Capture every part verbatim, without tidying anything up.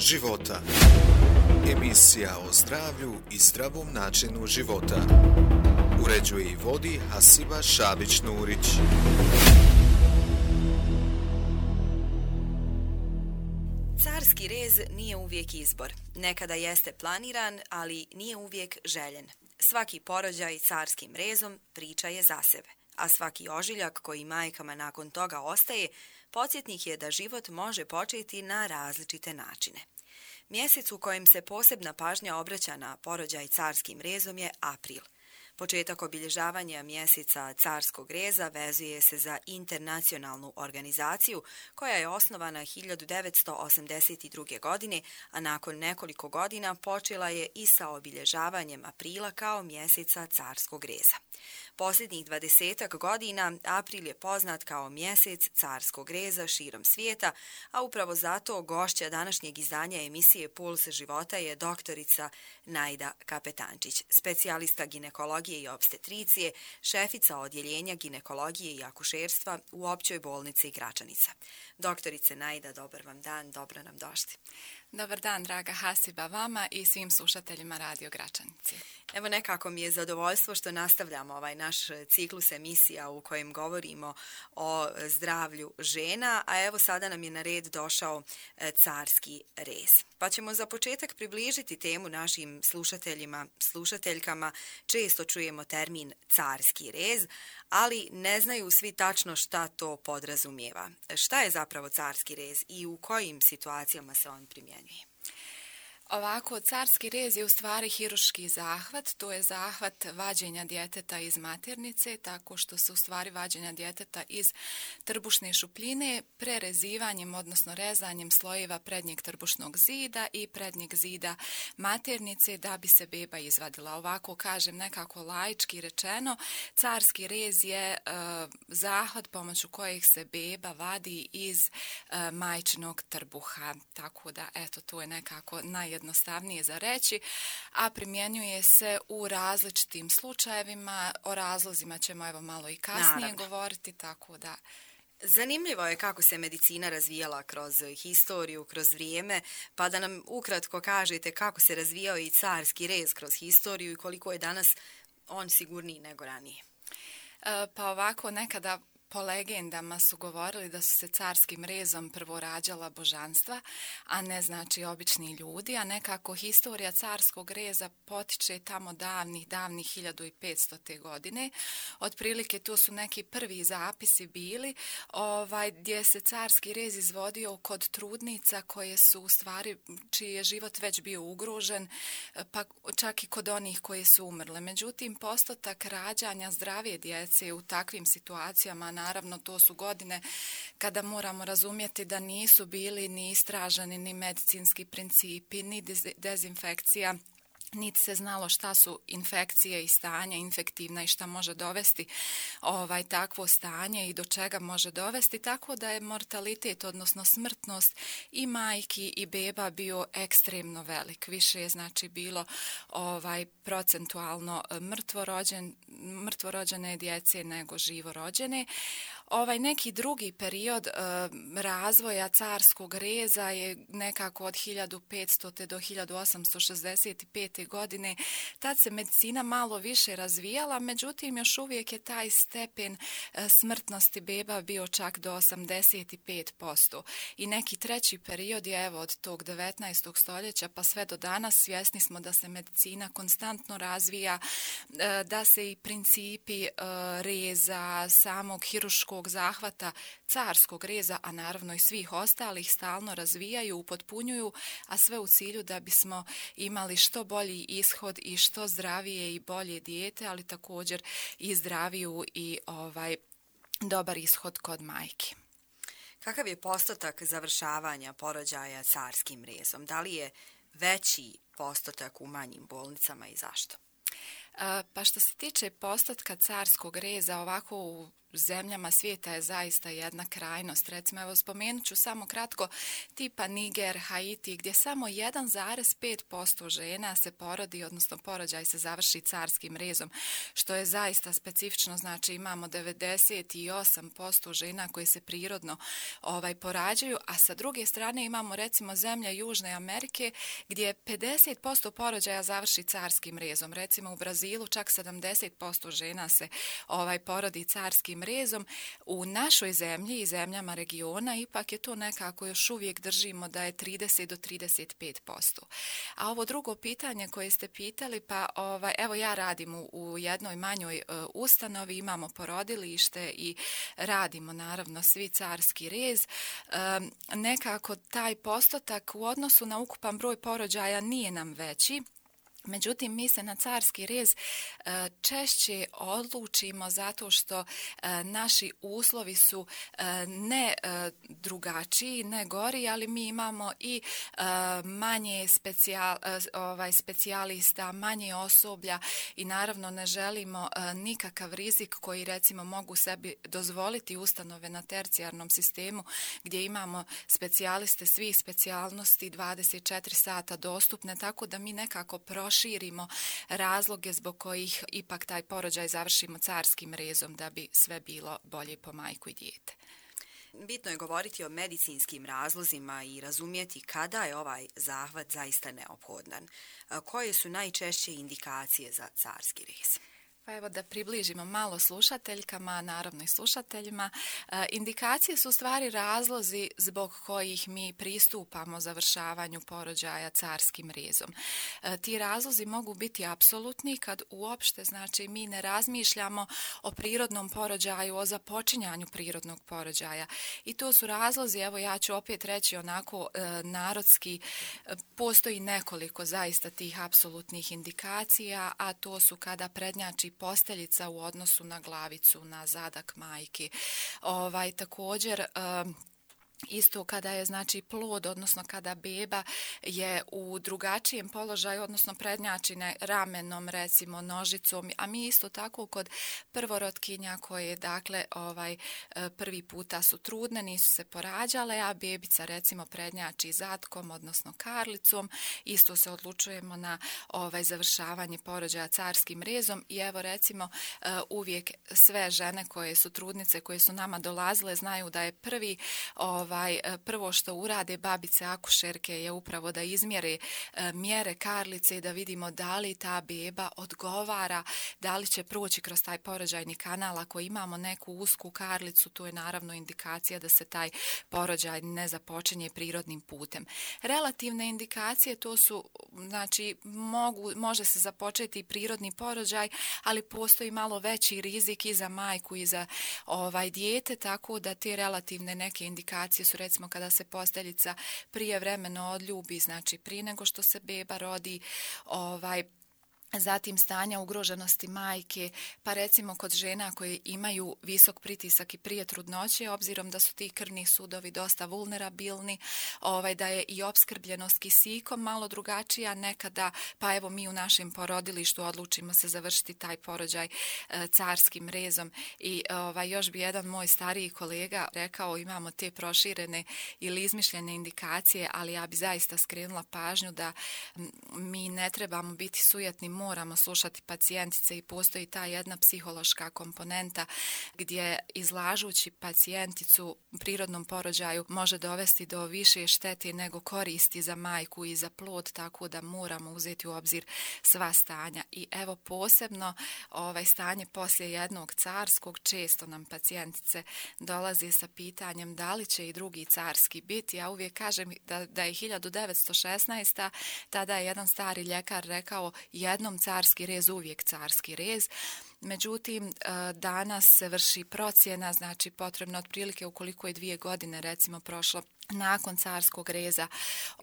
života. Emisija o zdravlju i zdravom načinu života. Uređuje i vodi Hasiba Šabić-Nurić. Carski rez nije uvijek izbor. Nekada jeste planiran, ali nije uvijek željen. Svaki porođaj carskim rezom priča je za sebe, a svaki ožiljak koji majkama nakon toga ostaje, podsjetnik je da život može početi na različite načine. Mjesec u kojem se posebna pažnja obraća na porođaj carskim rezom je april. Početak obilježavanja mjeseca carskog reza vezuje se za internacionalnu organizaciju koja je osnovana hiljadu devetsto osamdeset druge. godine, a nakon nekoliko godina počela je i sa obilježavanjem aprila kao mjeseca carskog reza. Posljednjih dvadesetak godina april je poznat kao mjesec carskog reza širom svijeta, a upravo zato gošća današnjeg izdanja emisije Puls života je doktorica Najda Kapetančić, specijalista ginekologije i opstetricije, šefica odjeljenja ginekologije i akušerstva u Općoj bolnici Gračanica. Doktorice Najda, dobar vam dan, dobro nam došli. Dobar dan, draga Hasiba, vama i svim slušateljima Radio Gračanice. Evo, nekako mi je zadovoljstvo što nastavljamo ovaj naš ciklus emisija u kojem govorimo o zdravlju žena, a evo sada nam je na red došao carski rez. Pa ćemo za početak približiti temu našim slušateljima, slušateljkama. Često čujemo termin carski rez, ali ne znaju svi tačno šta to podrazumijeva. Šta je zapravo carski rez i u kojim situacijama se on primjenjuje? Ovako, carski rez je u stvari hiruški zahvat, to je zahvat vađenja djeteta iz maternice, tako što se u stvari vađenja djeteta iz trbušne šupljine prerezivanjem, odnosno rezanjem slojeva prednjeg trbušnog zida i prednjeg zida maternice da bi se beba izvadila. Ovako kažem nekako laički rečeno, carski rez je e, zahvat pomoću kojeg se beba vadi iz e, majčinog trbuha, tako da eto, to je nekako naj jednostavnije za reći, a primjenjuje se u različitim slučajevima. O razlozima ćemo evo malo i kasnije Naravno. govoriti, tako da... Zanimljivo je kako se medicina razvijala kroz historiju, kroz vrijeme, pa da nam ukratko kažete kako se razvijao i carski rez kroz historiju i koliko je danas on sigurniji nego ranije. E, pa ovako, nekada po legendama su govorili da su se carskim rezom prvo rađala božanstva, a ne znači obični ljudi, a nekako historija carskog reza potiče tamo davnih, davnih hiljadu petsto. godine. Otprilike tu su neki prvi zapisi bili ovaj, gdje se carski rez izvodio kod trudnica koje su u stvari, čiji je život već bio ugrožen, pa čak i kod onih koje su umrle. Međutim, postotak rađanja zdravije djece u takvim situacijama, naravno, to su godine kada moramo razumjeti da nisu bili ni istraženi ni medicinski principi, ni dezinfekcija, niti se znalo šta su infekcije i stanja infektivna i šta može dovesti ovaj takvo stanje i do čega može dovesti, tako da je mortalitet, odnosno smrtnost i majki i beba bio ekstremno velik. Više je znači bilo ovaj procentualno mrtvorođen, mrtvorođene djece nego živorođene. Ovaj neki drugi period e, razvoja carskog reza je nekako od hiljadu petsto. do hiljadu osamsto šezdeset pete. godine. Tad se medicina malo više razvijala, međutim još uvijek je taj stepen e, smrtnosti beba bio čak do osamdeset pet posto. I neki treći period je evo od tog devetnaestog. stoljeća pa sve do danas. Svjesni smo da se medicina konstantno razvija, e, da se i principi e, reza, samog hiruškog zahvata carskog reza, a naravno i svih ostalih stalno razvijaju, upotpunjuju, a sve u cilju da bismo imali što bolji ishod i što zdravije i bolje dijete, ali također i zdraviju i ovaj dobar ishod kod majki. Kakav je postotak završavanja porođaja carskim rezom? Da li je veći postotak u manjim bolnicama i zašto? Pa što se tiče postotka carskog reza, ovako u zemljama svijeta je zaista jedna krajnost. Recimo, evo spomenut ću samo kratko tipa Niger, Haiti, gdje samo jedan zarez pet posto žena se porodi, odnosno porođaj se završi carskim rezom, što je zaista specifično. Znači, imamo devedeset osam posto žena koje se prirodno ovaj, porađaju, a sa druge strane imamo recimo zemlje Južne Amerike gdje pedeset posto porođaja završi carskim rezom. Recimo u Brazilu čak sedamdeset posto žena se ovaj, porodi carskim rezom. U našoj zemlji i zemljama regiona ipak je to nekako još uvijek držimo da je trideset do trideset pet posto. A ovo drugo pitanje koje ste pitali, pa ovaj, evo ja radim u, u jednoj manjoj uh, ustanovi, imamo porodilište i radimo naravno svi carski rez. Um, nekako taj postotak u odnosu na ukupan broj porođaja nije nam veći. Međutim, mi se na carski rez češće odlučimo zato što naši uslovi su ne drugačiji, ne gori, ali mi imamo i manje specijal, ovaj, specijalista, manje osoblja i naravno ne želimo nikakav rizik koji recimo mogu sebi dozvoliti ustanove na tercijarnom sistemu gdje imamo specijaliste svih specijalnosti dvadeset četiri sata dostupne, tako da mi nekako proširimo širimo razloge zbog kojih ipak taj porođaj završimo carskim rezom da bi sve bilo bolje po majku i dijete. Bitno je govoriti o medicinskim razlozima i razumjeti kada je ovaj zahvat zaista neophodan. Koje su najčešće indikacije za carski rez? Pa evo da približimo malo slušateljkama, naravno i slušateljima. E, indikacije su u stvari razlozi zbog kojih mi pristupamo završavanju porođaja carskim rezom. E, ti razlozi mogu biti apsolutni kad uopšte, znači mi ne razmišljamo o prirodnom porođaju, o započinjanju prirodnog porođaja. I to su razlozi, evo ja ću opet reći onako e, narodski, e, postoji nekoliko zaista tih apsolutnih indikacija, a to su kada prednjači posteljica u odnosu na glavicu, na zadak majke. Ovaj, također, um, isto kada je znači plod, odnosno kada beba je u drugačijem položaju, odnosno prednjači ramenom, recimo nožicom, a mi isto tako kod prvorotkinja koje dakle ovaj prvi puta su trudne, nisu se porađale, a bebica recimo prednjači zatkom, odnosno karlicom, isto se odlučujemo na ovaj završavanje porođaja carskim rezom i evo recimo uvijek sve žene koje su trudnice, koje su nama dolazile, znaju da je prvi ovaj Ovaj, prvo što urade babice akušerke je upravo da izmjere e, mjere karlice i da vidimo da li ta beba odgovara, da li će proći kroz taj porođajni kanal. Ako imamo neku usku karlicu, to je naravno indikacija da se taj porođaj ne započinje prirodnim putem. Relativne indikacije to su, znači, mogu, može se započeti prirodni porođaj, ali postoji malo veći rizik i za majku i za ovaj dijete, tako da te relativne neke indikacije su recimo kada se posteljica prijevremeno odljubi, znači prije nego što se beba rodi, ovaj, zatim stanja ugroženosti majke, pa recimo kod žena koje imaju visok pritisak i prije trudnoće, obzirom da su ti krvni sudovi dosta vulnerabilni, ovaj, da je i opskrbljenost kisikom malo drugačija nekada, pa evo mi u našem porodilištu odlučimo se završiti taj porođaj e, carskim rezom. I ovaj, još bi jedan moj stariji kolega rekao, imamo te proširene ili izmišljene indikacije, ali ja bi zaista skrenula pažnju da m, mi ne trebamo biti sujetni, moramo slušati pacijentice i postoji ta jedna psihološka komponenta gdje izlažući pacijenticu prirodnom porođaju može dovesti do više štete nego koristi za majku i za plod, tako da moramo uzeti u obzir sva stanja. I evo posebno ovaj stanje poslije jednog carskog, često nam pacijentice dolaze sa pitanjem da li će i drugi carski biti. Ja uvijek kažem da, da je hiljadu devetsto šesnaesta. tada je jedan stari ljekar rekao jednom carski rez, uvijek carski rez. Međutim, danas se vrši procjena, znači potrebno otprilike ukoliko je dvije godine recimo prošlo nakon carskog reza,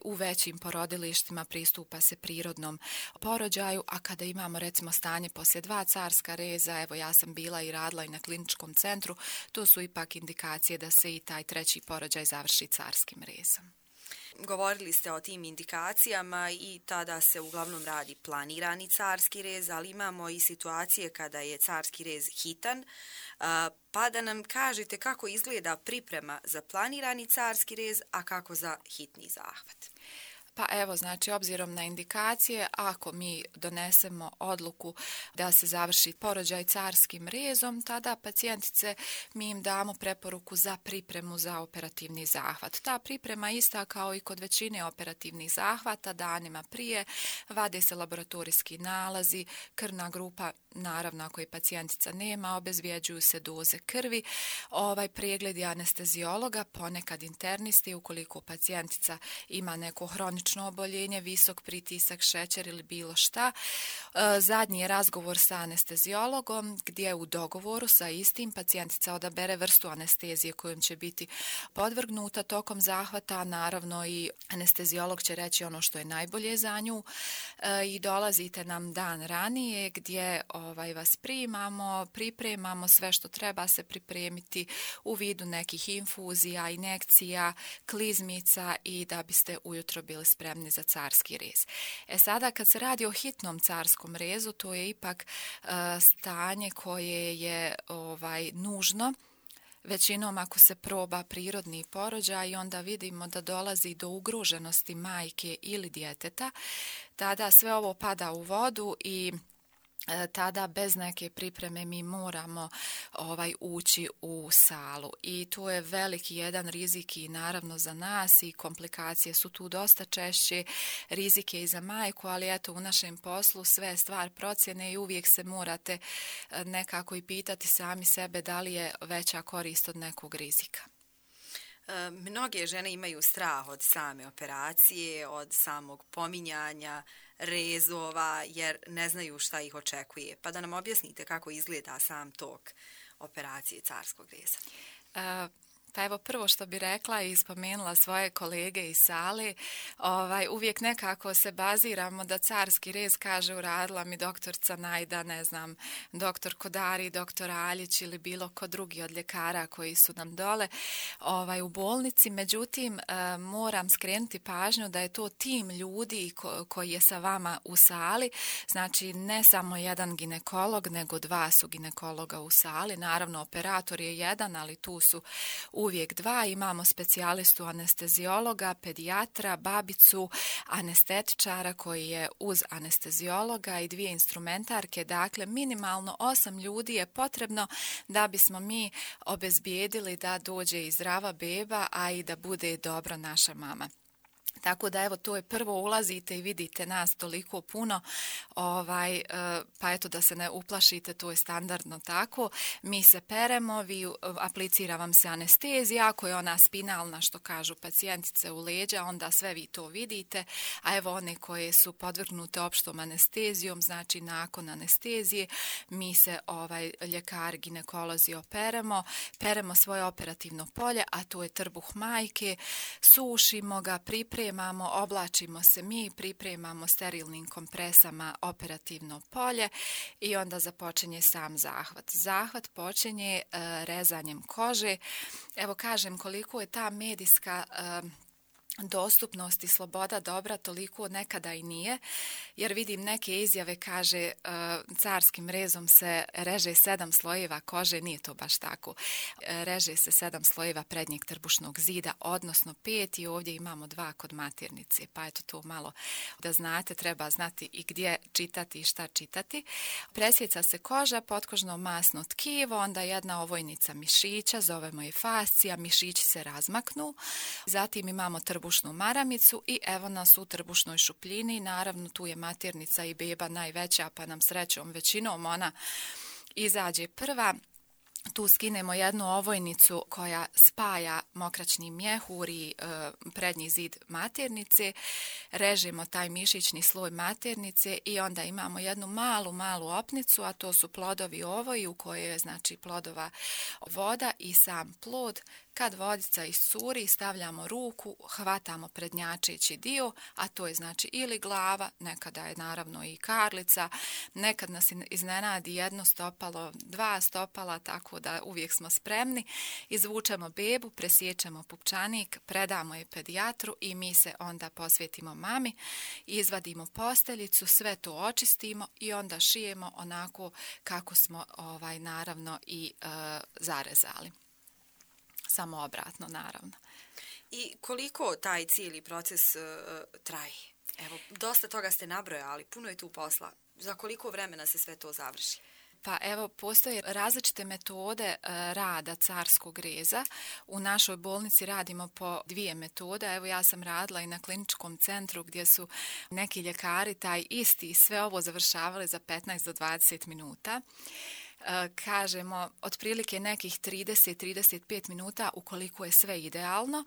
u većim porodilištima pristupa se prirodnom porođaju, a kada imamo recimo stanje poslije dva carska reza, evo ja sam bila i radila i na kliničkom centru, to su ipak indikacije da se i taj treći porođaj završi carskim rezom. Govorili ste o tim indikacijama i tada se uglavnom radi planirani carski rez, ali imamo i situacije kada je carski rez hitan, pa da nam kažete kako izgleda priprema za planirani carski rez, a kako za hitni zahvat. Pa evo, znači, obzirom na indikacije, ako mi donesemo odluku da se završi porođaj carskim rezom, tada pacijentice mi im damo preporuku za pripremu za operativni zahvat. Ta priprema ista kao i kod većine operativnih zahvata, danima prije, vade se laboratorijski nalazi, krvna grupa, naravno ako je pacijentica nema, obezvjeđuju se doze krvi, ovaj pregled anesteziologa, ponekad internisti, ukoliko pacijentica ima neko hronično oboljenje, visok pritisak, šećer ili bilo šta. Zadnji je razgovor sa anesteziologom gdje u dogovoru sa istim pacijentica odabere vrstu anestezije kojom će biti podvrgnuta tokom zahvata. Naravno i anesteziolog će reći ono što je najbolje za nju i dolazite nam dan ranije gdje ovaj, vas primamo, pripremamo sve što treba se pripremiti u vidu nekih infuzija, injekcija, klizmica i da biste ujutro bili spremni za carski rez. E sada kad se radi o hitnom carskom rezu, to je ipak uh, stanje koje je ovaj, nužno. Većinom ako se proba prirodni porođaj, onda vidimo da dolazi do ugroženosti majke ili djeteta, tada sve ovo pada u vodu i tada bez neke pripreme mi moramo ovaj ući u salu i tu je veliki jedan rizik i naravno za nas i komplikacije su tu dosta češće, rizik je i za majku, ali eto u našem poslu sve je stvar procjene i uvijek se morate nekako i pitati sami sebe da li je veća korist od nekog rizika. Mnoge žene imaju strah od same operacije, od samog pominjanja, rezova, jer ne znaju šta ih očekuje. Pa da nam objasnite kako izgleda sam tok operacije carskog reza. Uh... Pa evo prvo što bi rekla i spomenula svoje kolege iz sale, ovaj, uvijek nekako se baziramo da carski rez kaže uradila mi doktorca Najda, ne znam, doktor Kodari, doktor Aljić ili bilo ko drugi od ljekara koji su nam dole ovaj, u bolnici. Međutim, e, moram skrenuti pažnju da je to tim ljudi ko, koji je sa vama u sali, znači ne samo jedan ginekolog, nego dva su ginekologa u sali. Naravno, operator je jedan, ali tu su uvijek dva, imamo specijalistu anesteziologa, pedijatra, babicu, anestetičara koji je uz anesteziologa i dvije instrumentarke, dakle minimalno osam ljudi je potrebno da bismo mi obezbijedili da dođe i zdrava beba, a i da bude dobro naša mama. Tako da evo to je prvo ulazite i vidite nas toliko puno, ovaj, pa eto da se ne uplašite, to je standardno tako. Mi se peremo, vi aplicira vam se anestezija, ako je ona spinalna što kažu pacijentice u leđa, onda sve vi to vidite, a evo one koje su podvrgnute opštom anestezijom, znači nakon anestezije, mi se ovaj, ljekar, ginekolozi operemo, peremo svoje operativno polje, a to je trbuh majke, sušimo ga, pripremamo, Pripremamo, oblačimo se mi, pripremamo sterilnim kompresama operativno polje i onda započinje sam zahvat. Zahvat počinje uh, rezanjem kože. Evo kažem koliko je ta medijska uh, dostupnost i sloboda dobra, toliko nekada i nije, jer vidim neke izjave kaže uh, carskim rezom se reže sedam slojeva kože, nije to baš tako. Reže se sedam slojeva prednjeg trbušnog zida, odnosno pet i ovdje imamo dva kod maternice, pa eto to malo da znate, treba znati i gdje čitati i šta čitati. Presjeca se koža, potkožno masno tkivo, onda jedna ovojnica mišića, zovemo je fascija, mišići se razmaknu, zatim imamo trbušnu maramicu i evo nas u trbušnoj šupljini, naravno tu je maternica i beba najveća, pa nam srećom većinom ona izađe prva. Tu skinemo jednu ovojnicu koja spaja mokraćni mjehur i e, prednji zid maternice, režemo taj mišićni sloj maternice i onda imamo jednu malu, malu opnicu, a to su plodovi ovoji u kojoj je znači plodova voda i sam plod. Kad vodica iscuri, stavljamo ruku, hvatamo prednjačeći dio, a to je znači ili glava, nekada je naravno i karlica, nekad nas iznenadi jedno stopalo, dva stopala, tako tako da uvijek smo spremni. Izvučemo bebu, presjećemo pupčanik, predamo je pedijatru i mi se onda posvetimo mami, izvadimo posteljicu, sve to očistimo i onda šijemo onako kako smo ovaj, naravno i e, zarezali. Samo obratno, naravno. I koliko taj cijeli proces uh, traje? Evo, dosta toga ste nabrojali, puno je tu posla. Za koliko vremena se sve to završi? Pa evo, postoje različite metode e, rada carskog reza. U našoj bolnici radimo po dvije metode. Evo, ja sam radila i na kliničkom centru gdje su neki ljekari taj isti sve ovo završavali za petnaest do dvadeset minuta. Kažemo otprilike nekih trideset do trideset pet minuta ukoliko je sve idealno.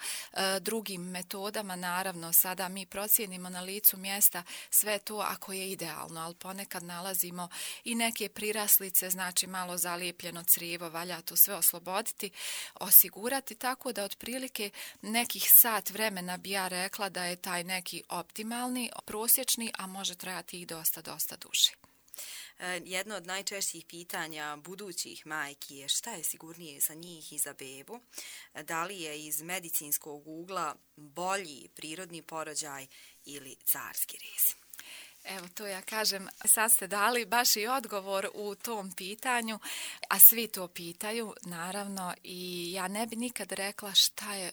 Drugim metodama naravno sada mi procijenimo na licu mjesta sve to ako je idealno, ali ponekad nalazimo i neke priraslice, znači malo zalijepljeno crijevo, valja to sve osloboditi, osigurati, tako da otprilike nekih sat vremena bi ja rekla da je taj neki optimalni, prosječni, a može trajati i dosta, dosta duže. Jedno od najčešćih pitanja budućih majki je šta je sigurnije za njih i za bebu. Da li je iz medicinskog ugla bolji prirodni porođaj ili carski rez? Evo, to ja kažem, sad ste dali baš i odgovor u tom pitanju, a svi to pitaju, naravno, i ja ne bi nikad rekla šta je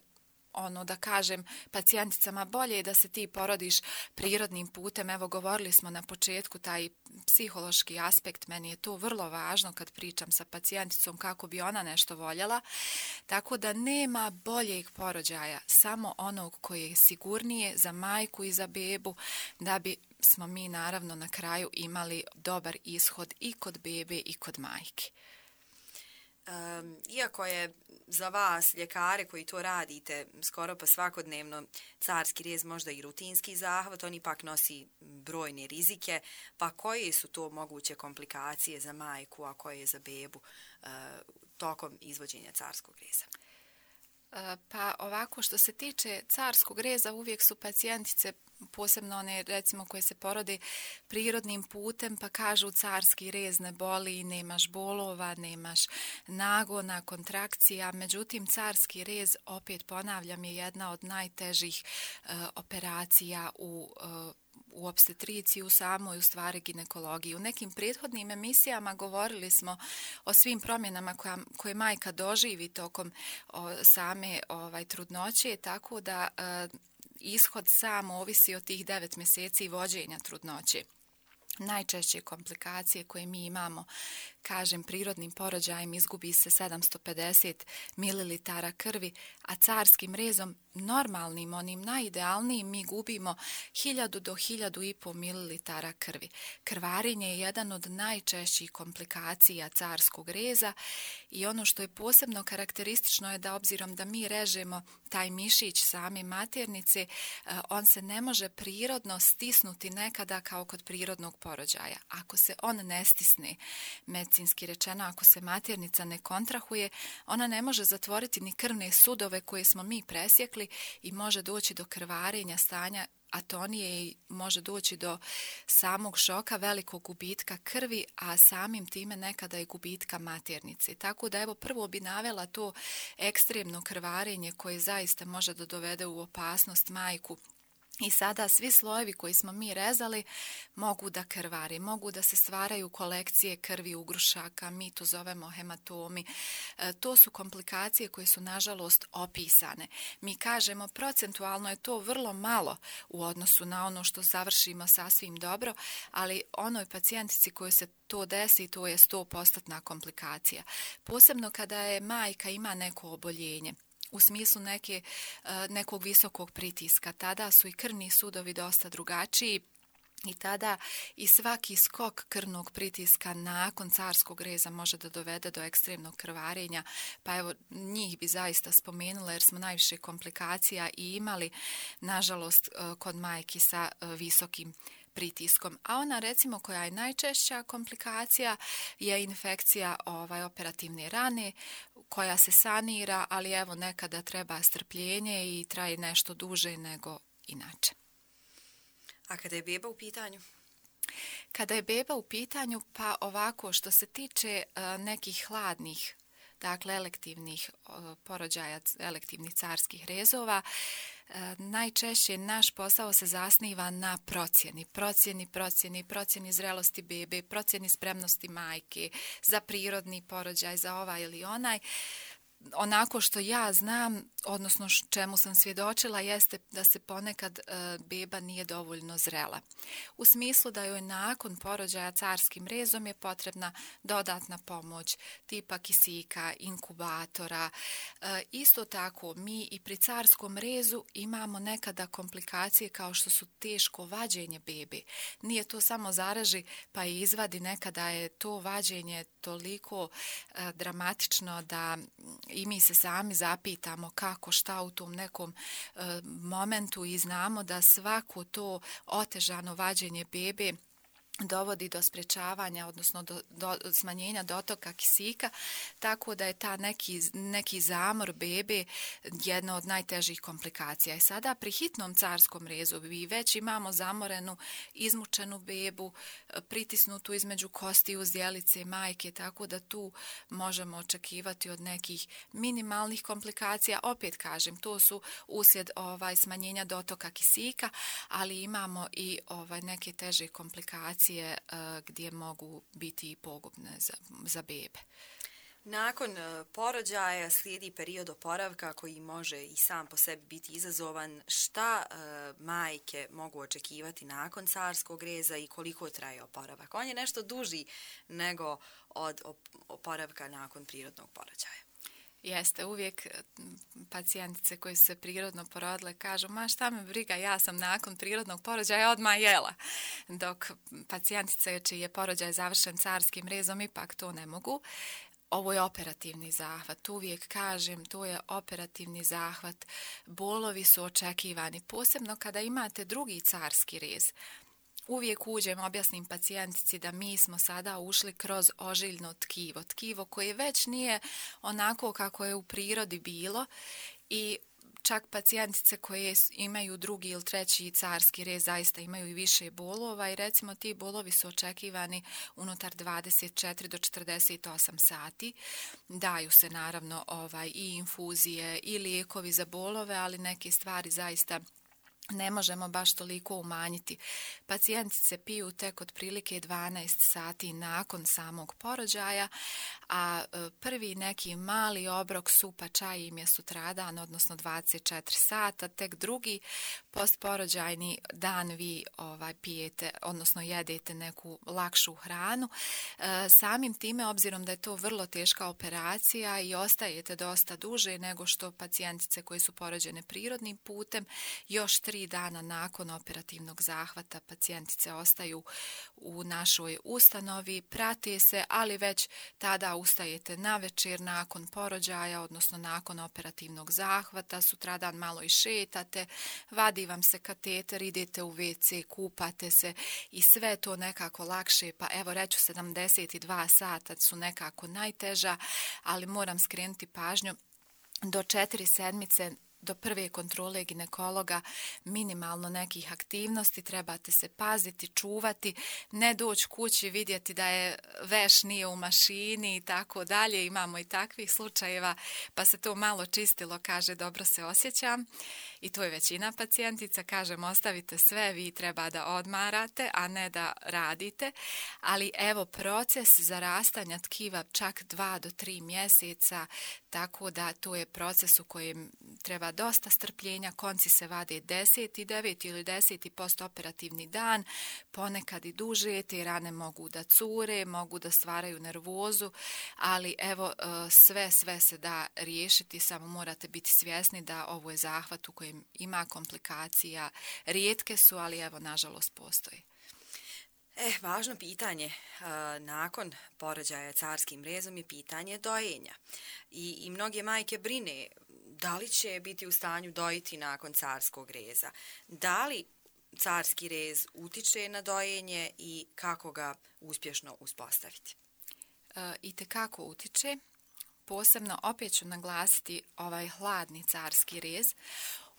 ono da kažem pacijenticama bolje je da se ti porodiš prirodnim putem. Evo, govorili smo na početku taj psihološki aspekt, meni je to vrlo važno kad pričam sa pacijenticom kako bi ona nešto voljela, tako da nema boljeg porođaja, samo onog koji je sigurnije za majku i za bebu, da bi smo mi naravno na kraju imali dobar ishod i kod bebe i kod majke. Um, iako je za vas, ljekare koji to radite, skoro pa svakodnevno carski rez možda i rutinski zahvat, on ipak nosi brojne rizike, pa koje su to moguće komplikacije za majku, a koje za bebu uh, tokom izvođenja carskog reza? Pa ovako, što se tiče carskog reza, uvijek su pacijentice, posebno one recimo koje se porode prirodnim putem, pa kažu carski rez ne boli, nemaš bolova, nemaš nagona, kontrakcija. Međutim, carski rez, opet ponavljam, je jedna od najtežih uh, operacija u uh, u opstetriciji, u samoj u stvari ginekologiji. U nekim prethodnim emisijama govorili smo o svim promjenama koja, koje majka doživi tokom o, same ovaj, trudnoće, tako da e, ishod sam ovisi od tih devet mjeseci vođenja trudnoće. Najčešće komplikacije koje mi imamo, kažem, prirodnim porođajem izgubi se sedamsto pedeset mililitara krvi, a carskim rezom, normalnim, onim najidealnijim, mi gubimo hiljadu do hiljadu i pol mililitara krvi. Krvarenje je jedan od najčešćih komplikacija carskog reza i ono što je posebno karakteristično je da obzirom da mi režemo taj mišić same maternice, on se ne može prirodno stisnuti nekada kao kod prirodnog porođaja. Ako se on ne stisne, medicinski rečeno, ako se maternica ne kontrahuje, ona ne može zatvoriti ni krvne sudove koje smo mi presjekli i može doći do krvarenja, stanja atonije i može doći do samog šoka, velikog gubitka krvi, a samim time nekada i gubitka maternice. Tako da evo prvo bi navela to ekstremno krvarenje koje zaista može da dovede u opasnost majku. I sada svi slojevi koji smo mi rezali mogu da krvari, mogu da se stvaraju kolekcije krvi ugrušaka, mi to zovemo hematomi. E, to su komplikacije koje su nažalost opisane. Mi kažemo procentualno je to vrlo malo u odnosu na ono što završimo sasvim dobro, ali onoj pacijentici kojoj se to desi, to je sto posto komplikacija. Posebno kada je majka ima neko oboljenje, u smislu neke, nekog visokog pritiska. Tada su i krvni sudovi dosta drugačiji i tada i svaki skok krvnog pritiska nakon carskog reza može da dovede do ekstremnog krvarenja. Pa evo, njih bi zaista spomenula jer smo najviše komplikacija i imali, nažalost, kod majki sa visokim pritiskom. A ona recimo koja je najčešća komplikacija je infekcija ovaj, operativne rane koja se sanira, ali evo nekada treba strpljenje i traje nešto duže nego inače. A kada je beba u pitanju? Kada je beba u pitanju, pa ovako što se tiče uh, nekih hladnih dakle elektivnih porođaja, elektivnih carskih rezova, najčešće naš posao se zasniva na procjeni, procjeni, procjeni, procjeni zrelosti bebe, procjeni spremnosti majke za prirodni porođaj, za ovaj ili onaj. Onako što ja znam, odnosno čemu sam svjedočila, jeste da se ponekad e, beba nije dovoljno zrela. U smislu da joj nakon porođaja carskim rezom je potrebna dodatna pomoć tipa kisika, inkubatora. E, isto tako mi i pri carskom rezu imamo nekada komplikacije kao što su teško vađenje bebe. Nije to samo zaraži pa i izvadi, nekada je to vađenje toliko e, dramatično da i mi se sami zapitamo kako, šta u tom nekom e, momentu i znamo da svako to otežano vađenje bebe dovodi do sprječavanja, odnosno do, do smanjenja dotoka kisika, tako da je ta neki, neki zamor bebe jedna od najtežih komplikacija. I sada pri hitnom carskom rezu mi već imamo zamorenu, izmučenu bebu, pritisnutu između kostiju zdjelice majke, tako da tu možemo očekivati od nekih minimalnih komplikacija. Opet kažem, to su uslijed ovaj, smanjenja dotoka kisika, ali imamo i ovaj, neke teže komplikacije gdje mogu biti i pogubne za, za bebe. Nakon porođaja slijedi period oporavka koji može i sam po sebi biti izazovan. Šta e, majke mogu očekivati nakon carskog reza i koliko traje oporavak? On je nešto duži nego od oporavka nakon prirodnog porođaja. Jeste, uvijek pacijentice koje su se prirodno porodile kažu, ma šta me briga, ja sam nakon prirodnog porođaja odmah jela. Dok pacijentice čiji je porođaj završen carskim rezom ipak to ne mogu. Ovo je operativni zahvat, uvijek kažem, to je operativni zahvat. Bolovi su očekivani, posebno kada imate drugi carski rez. Uvijek uđem, objasnim pacijentici da mi smo sada ušli kroz ožiljno tkivo, tkivo koje već nije onako kako je u prirodi bilo i čak pacijentice koje imaju drugi ili treći carski rez zaista imaju i više bolova i recimo ti bolovi su očekivani unutar dvadeset četiri do četrdeset osam sati. Daju se naravno ovaj, i infuzije i lijekovi za bolove, ali neke stvari zaista ne možemo baš toliko umanjiti. Pacijentice piju tek otprilike dvanaest sati nakon samog porođaja, a prvi neki mali obrok supa čaj im je sutradan, odnosno dvadeset četiri sata, tek drugi postporođajni dan vi ovaj, pijete, odnosno jedete neku lakšu hranu. E, samim time, obzirom da je to vrlo teška operacija i ostajete dosta duže nego što pacijentice koje su porođene prirodnim putem, još tri dana nakon operativnog zahvata pacijentice ostaju u našoj ustanovi, prate se, ali već tada ustajete na večer nakon porođaja, odnosno nakon operativnog zahvata, sutradan malo i šetate, vadi vam se kateter, idete u ve ce, kupate se i sve to nekako lakše, pa evo reću sedamdeset dva sata su nekako najteža, ali moram skrenuti pažnju do četiri sedmice do prve kontrole ginekologa minimalno nekih aktivnosti, trebate se paziti, čuvati, ne doći kući vidjeti da je veš nije u mašini i tako dalje. Imamo i takvih slučajeva, pa se to malo čistilo, kaže dobro se osjećam i to je većina pacijentica, kažem ostavite sve, vi treba da odmarate, a ne da radite, ali evo proces zarastanja tkiva čak dva do tri mjeseca, tako da to je proces u kojem treba dosta strpljenja, konci se vade deseti, deveti ili deseti postoperativni dan, ponekad i duže, te rane mogu da cure, mogu da stvaraju nervozu, ali evo sve, sve se da riješiti, samo morate biti svjesni da ovo je zahvat u kojem ima komplikacija, rijetke su, ali evo nažalost postoji. Eh, važno pitanje nakon porođaja carskim rezom je pitanje dojenja. I, i mnoge majke brine da li će biti u stanju dojiti nakon carskog reza. Da li carski rez utiče na dojenje i kako ga uspješno uspostaviti? E, itekako utiče. Posebno opet ću naglasiti ovaj hladni carski rez.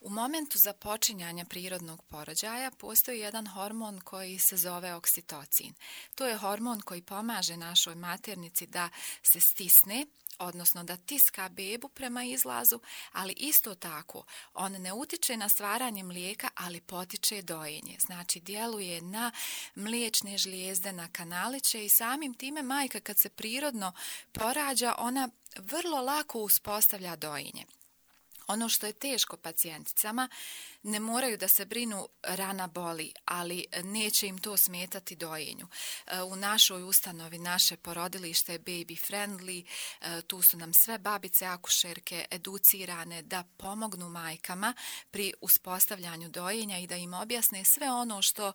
U momentu započinjanja prirodnog porođaja postoji jedan hormon koji se zove oksitocin. To je hormon koji pomaže našoj maternici da se stisne, odnosno da tiska bebu prema izlazu, ali isto tako on ne utiče na stvaranje mlijeka, ali potiče dojenje. Znači djeluje na mliječne žlijezde, na kanaliće i samim time majka kad se prirodno porađa, ona vrlo lako uspostavlja dojenje. Ono što je teško pacijenticama, ne moraju da se brinu rana boli, ali neće im to smetati dojenju. U našoj ustanovi, naše porodilište je baby friendly, tu su nam sve babice, akušerke educirane da pomognu majkama pri uspostavljanju dojenja i da im objasne sve ono što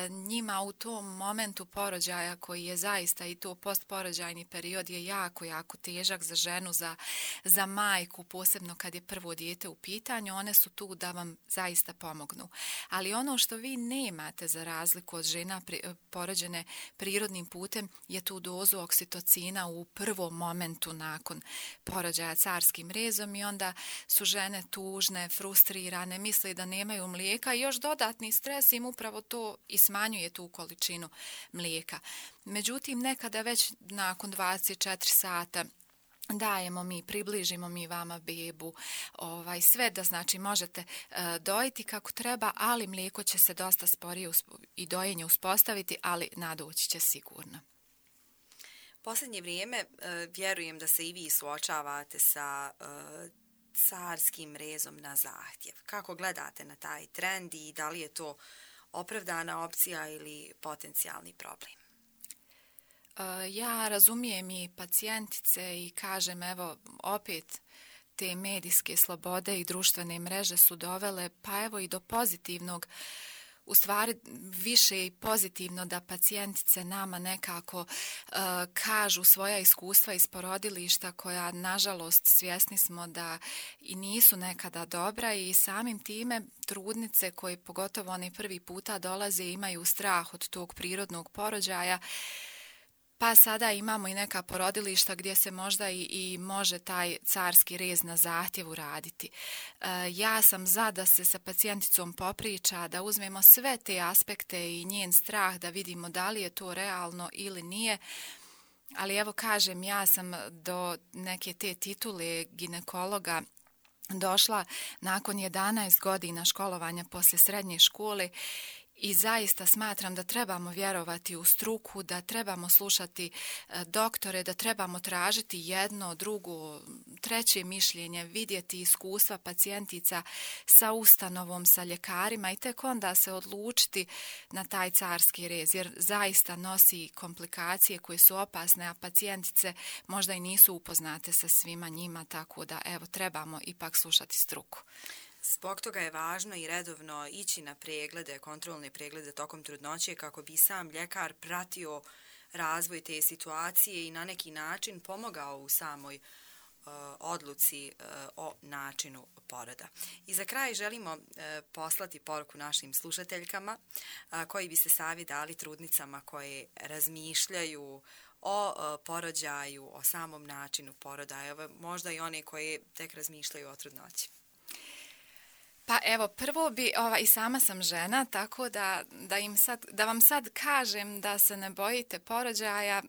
njima u tom momentu porođaja, koji je zaista i to postporođajni period je jako, jako težak za ženu, za, za majku, posebno kad je prvo dijete u pitanju, one su tu da vam zaista pomognu. Ali ono što vi nemate za razliku od žena pri, porođene prirodnim putem je tu dozu oksitocina u prvom momentu nakon porođaja carskim rezom i onda su žene tužne, frustrirane, misle da nemaju mlijeka i još dodatni stres im upravo to i smanjuje tu količinu mlijeka. Međutim, nekada već nakon dvadeset četiri sata dajemo mi, približimo mi vama bebu, ovaj, sve da znači možete e, dojiti kako treba, ali mlijeko će se dosta sporije i dojenje uspostaviti, ali nadoći će sigurno. Posljednje vrijeme e, vjerujem da se i vi suočavate sa e, carskim rezom na zahtjev. Kako gledate na taj trend i da li je to opravdana opcija ili potencijalni problem? Ja razumijem i pacijentice i kažem, evo, opet te medijske slobode i društvene mreže su dovele, pa evo i do pozitivnog, u stvari više i pozitivno da pacijentice nama nekako uh, kažu svoja iskustva iz porodilišta koja, nažalost, svjesni smo da i nisu nekada dobra i samim time trudnice koje pogotovo one prvi puta dolaze imaju strah od tog prirodnog porođaja. Pa sada imamo i neka porodilišta gdje se možda i, i može taj carski rez na zahtjev uraditi. E, ja sam za da se sa pacijenticom popriča, da uzmemo sve te aspekte i njen strah, da vidimo da li je to realno ili nije. Ali evo kažem, ja sam do neke te titule ginekologa došla nakon jedanaest godina školovanja poslije srednje škole. I zaista smatram da trebamo vjerovati u struku, da trebamo slušati doktore, da trebamo tražiti jedno, drugo, treće mišljenje, vidjeti iskustva pacijentica sa ustanovom, sa ljekarima i tek onda se odlučiti na taj carski rez, jer zaista nosi komplikacije koje su opasne, a pacijentice možda i nisu upoznate sa svima njima, tako da evo trebamo ipak slušati struku. Zbog toga je važno i redovno ići na preglede, kontrolne preglede tokom trudnoće kako bi sam ljekar pratio razvoj te situacije i na neki način pomogao u samoj uh, odluci uh, o načinu poroda. I za kraj želimo uh, poslati poruku našim slušateljkama uh, koji bi se savjet dali trudnicama koje razmišljaju o uh, porođaju, o samom načinu poroda, evo, možda i one koje tek razmišljaju o trudnoći. Pa evo, prvo bi, ova, i sama sam žena, tako da, da, im sad, da vam sad kažem da se ne bojite porođaja.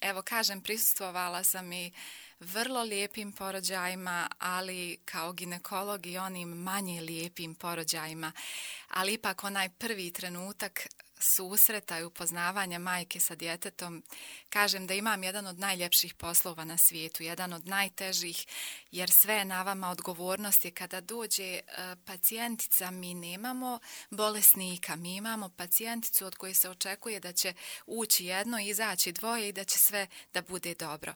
Evo, kažem, prisustvovala sam i vrlo lijepim porođajima, ali kao ginekolog i onim manje lijepim porođajima. Ali ipak onaj prvi trenutak susreta i upoznavanja majke sa djetetom, kažem da imam jedan od najljepših poslova na svijetu, jedan od najtežih, jer sve je na vama, odgovornost je kada dođe pacijentica, mi nemamo bolesnika, mi imamo pacijenticu od koje se očekuje da će ući jedno, izaći dvoje i da će sve da bude dobro.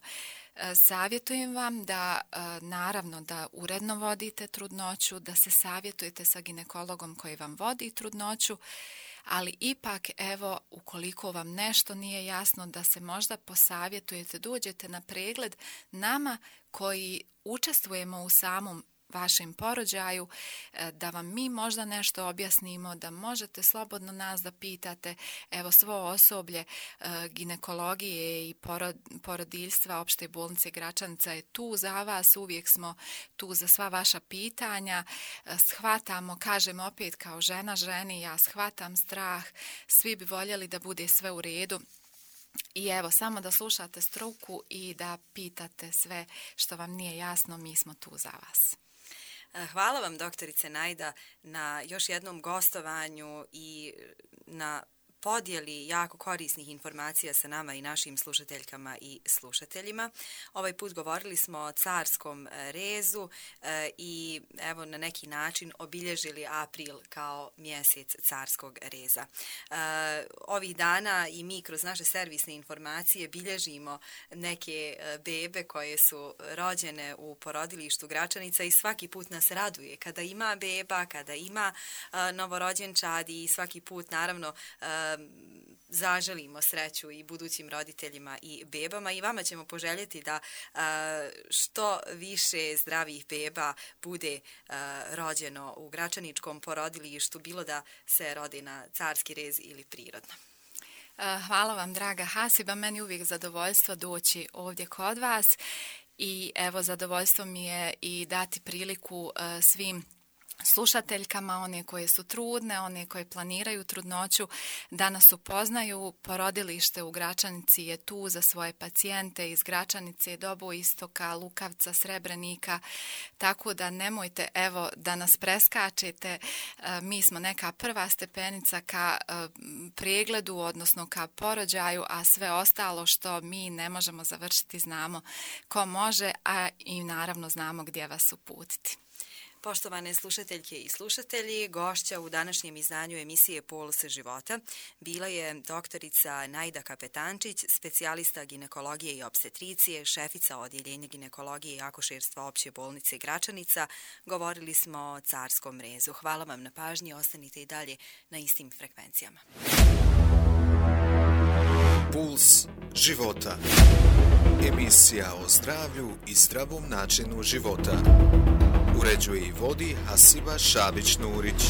Savjetujem vam da, naravno, da uredno vodite trudnoću, da se savjetujete sa ginekologom koji vam vodi trudnoću, ali ipak, evo, ukoliko vam nešto nije jasno, da se možda posavjetujete, dođete na pregled nama koji učestvujemo u samom vašem porođaju, da vam mi možda nešto objasnimo, da možete slobodno nas da pitate. Evo, svo osoblje ginekologije i porodiljstva Opšte bolnice Gračanica je tu za vas, uvijek smo tu za sva vaša pitanja. Shvatamo, kažem opet kao žena ženi, ja shvatam strah, svi bi voljeli da bude sve u redu. I evo, samo da slušate struku i da pitate sve što vam nije jasno, mi smo tu za vas. Hvala vam, doktorice Najda, na još jednom gostovanju i na podijeli jako korisnih informacija sa nama i našim slušateljkama i slušateljima. Ovaj put govorili smo o carskom rezu e, i evo na neki način obilježili april kao mjesec carskog reza. E, ovih dana i mi kroz naše servisne informacije bilježimo neke bebe koje su rođene u porodilištu Gračanica i svaki put nas raduje kada ima beba, kada ima e, novorođenčad i svaki put naravno e, zaželimo sreću i budućim roditeljima i bebama i vama ćemo poželjeti da a, što više zdravih beba bude a, rođeno u Gračaničkom porodilištu, bilo da se rodi na carski rez ili prirodno. Hvala vam, draga Hasiba, meni uvijek zadovoljstvo doći ovdje kod vas i evo zadovoljstvo mi je i dati priliku a, svim slušateljkama, one koje su trudne, one koje planiraju trudnoću, da nas upoznaju. Porodilište u Gračanici je tu za svoje pacijente iz Gračanice, Doboistoka, Lukavca, Srebrenika, tako da nemojte evo da nas preskačete. Mi smo neka prva stepenica ka pregledu, odnosno ka porođaju, a sve ostalo što mi ne možemo završiti znamo ko može, a i naravno znamo gdje vas uputiti. Poštovane slušateljke i slušatelji, gošća u današnjem izdanju emisije Puls života bila je doktorica Najda Kapetančić, specijalista ginekologije i opstetricije, šefica odjeljenja ginekologije i akušerstva opće bolnice Gračanica. Govorili smo o carskom rezu. Hvala vam na pažnji, ostanite i dalje na istim frekvencijama. Puls života. Emisija o zdravlju i zdravom načinu života. Uređuje i vodi Hasiba Šabić-Nurić.